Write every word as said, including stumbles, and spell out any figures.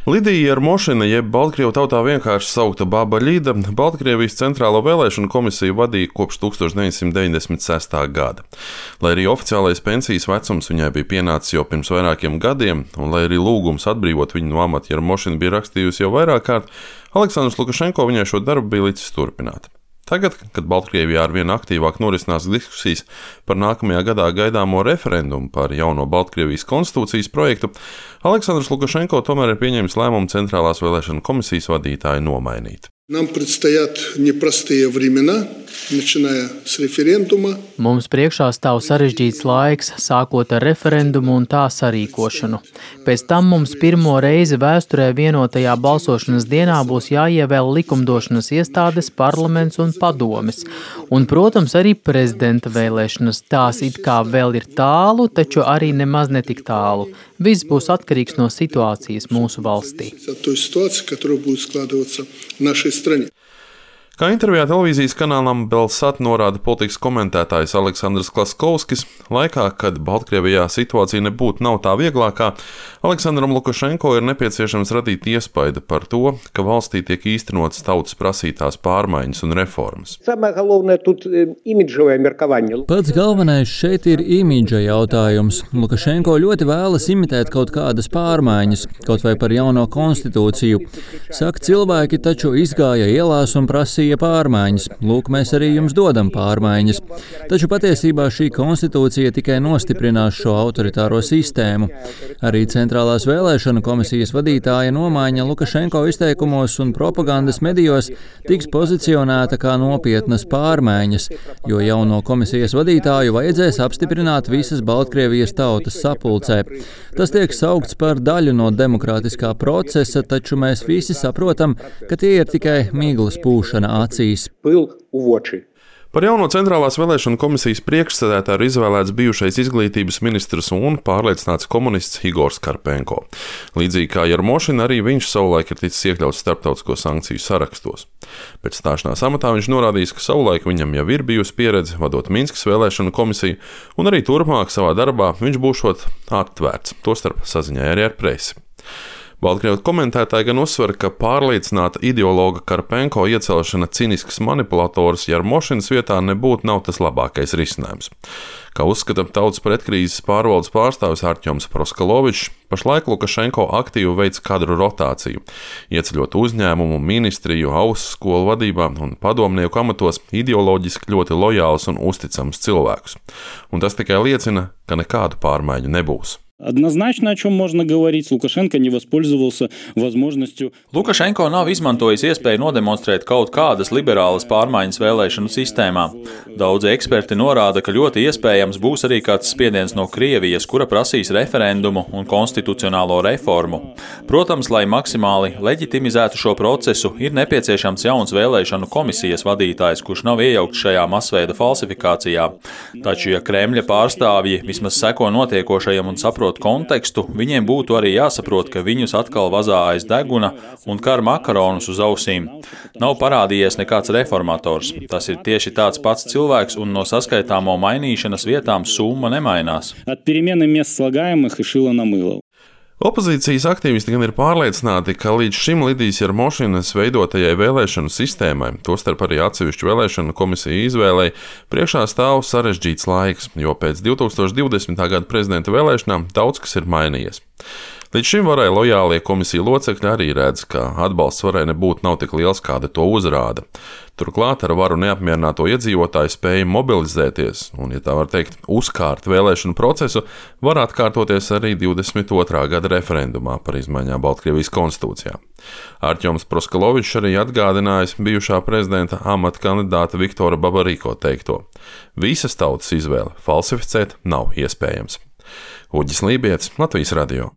Lidija Jarmošina, jeb Baltkrievu tautā vienkārši saukta Baba Ļida, Baltkrievijas centrālo vēlēšanu komisiju vadīja kopš tūkstoš deviņsimt deviņdesmit sestā gada. Lai arī oficiālais pensijas vecums viņai bija pienācis jau pirms vairākiem gadiem, un lai arī lūgums atbrīvot viņu no amata Jarmošina bija rakstījusi jau vairāk kārt, Aleksandrs Lukašenko viņai šo darbu bija licis turpināt. Tagad, kad Baltkrievijā arvien aktīvāk norisinās diskusijas par nākamajā gadā gaidāmo referendumu par jauno Baltkrievijas konstitūcijas projektu, Aleksandrs Lukašenko tomēr ir pieņēmis lēmumu Centrālās vēlēšanu komisijas vadītāju nomainīt. Нам предстоят непростые времена, начиная с референдума. Mums priekšā stāv sarežģīts laiks, sākot ar referendumu un tā sarīkošanu. Pēc tam mums pirmo reizi vēsturē vienotajā balsošanas dienā būs jāievēl likumdošanas iestādes, parlaments un padomes. Un, protams, arī prezidenta vēlēšanas. Tās it kā vēl ir tālu, taču arī nemaz netik tālu. Viss būs atkarīgs no situācijas mūsu valstī. Kā intervijā televīzijas kanālam Belsat norāda politikas komentētājs Aleksandrs Klaskovskis, laikā, kad Baltkrievijā situācija nebūtu nav tā vieglākā, Aleksandram Lukašenko ir nepieciešams radīt iespaidu par to, ka valstī tiek īstenotas tautas prasītās pārmaiņas un reformas. Pats galvenais šeit ir imidža jautājums. Lukašenko ļoti vēlas imitēt kaut kādas pārmaiņas, kaut vai par jauno konstitūciju. Saka, cilvēki taču izgāja ielās un prasīja pārmaiņas. Lūk, mēs arī jums dodam pārmaiņas. Taču patiesībā šī konstitūcija tikai nostiprinās šo autoritāro sistēmu. Arī Centrālās vēlēšanu komisijas vadītāja nomaiņa Lukašenko izteikumos un propagandas medijos tiks pozicionēta kā nopietnas pārmaiņas, jo jauno komisijas vadītāju vajadzēs apstiprināt visas Baltkrievijas tautas sapulcē. Tas tiek saukts par daļu no demokrātiskā procesa, taču mēs visi saprotam, ka tie ir tikai miglas pūšana acīs. Par jauno Centrālās vēlēšanu komisijas priekšsēdētāju ir izvēlēts bijušais izglītības ministrs un pārliecināts komunists Igors Karpenko. Līdzīgi kā Jarmošina, arī viņš savulaik ir ticis iekļauts starptautisko sankciju sarakstos. Pēc stāšanās amatā viņš norādījis, ka savulaik viņam jau ir bijusi pieredze vadot Minskas vēlēšanu komisiju, un arī turpmāk savā darbā viņš būšot atvērts, tostarp saziņai arī ar presi. Baltkrievu komentētāji gan uzsver, ka pārliecināta ideologa Karpenko iecelšana cinisks manipulators Jarmošinas vietā nebūtu nav tas labākais risinājums. Kā uzskata tautas pretkrīzes pārvaldes pārstāvis Artjoms Proskalovičs, pašlaik Lukašenko aktīvi veic kadru rotāciju, ieceļot uzņēmumu, ministriju, augstskolu vadībā un padomnieku amatos ideoloģiski ļoti lojālus un uzticams cilvēkus. Un tas tikai liecina, ka nekādu pārmaiņu nebūs. Однозначно, о чем можно говорить, Лукашенко не воспользовался возможностью. Lukašenko nav izmantojis iespēju nodemonstrēt kaut kādas liberālas pārmaiņas vēlēšanu sistēmā. Daudzi eksperti norāda, ka ļoti iespējams būs arī kāds spiediens no Krievijas, kura prasīs referendumu un konstitucionālo reformu. Protams, lai maksimāli leģitimizētu šo procesu, ir nepieciešams jauns vēlēšanu komisijas vadītājs, kurš nav iejaukts šajā masveida falsifikācijā. Taču, ja Kremļa pārstāvji vismaz seko notiekošajam un saprot kontekstu, viņiem būtu arī jāsaprot, ka viņus atkal vazā aiz deguna un kar makaronus uz ausīm. Nav parādījies nekāds reformators. Tas ir tieši tāds pats cilvēks, un no saskaitāmo mainīšanas vietām summa nemainās. От перемены мест слагаемых и шила на мыло. Opozīcijas aktīvisti gan ir pārliecināti, ka līdz šim Lidijas Jarmošinas veidotajai vēlēšanu sistēmai, tostarp arī atsevišķu vēlēšanu komisiju izvēlei, priekšā stāv sarežģīts laiks, jo pēc divtūkstoš divdesmitā gada prezidenta vēlēšanām daudz kas ir mainījies. Līdz šim varai lojālie komisiju locekļi arī redz, ka atbalsts varai nebūtu nav tik liels, kāda to uzrāda. Turklāt ar varu neapmierināto iedzīvotāju spēju mobilizēties un, ja tā var teikt, uzkārt vēlēšanu procesu, var atkārtoties arī divdesmit otrā gada referendumā par izmaiņām Baltkrievijas konstitūcijā. Artjoms Proskalovičs arī atgādinājis bijušā prezidenta amata kandidāta Viktora Babariko teikto: visas tautas izvēle falsificēt nav iespējams. Uģis Lībietis, Latvijas radio.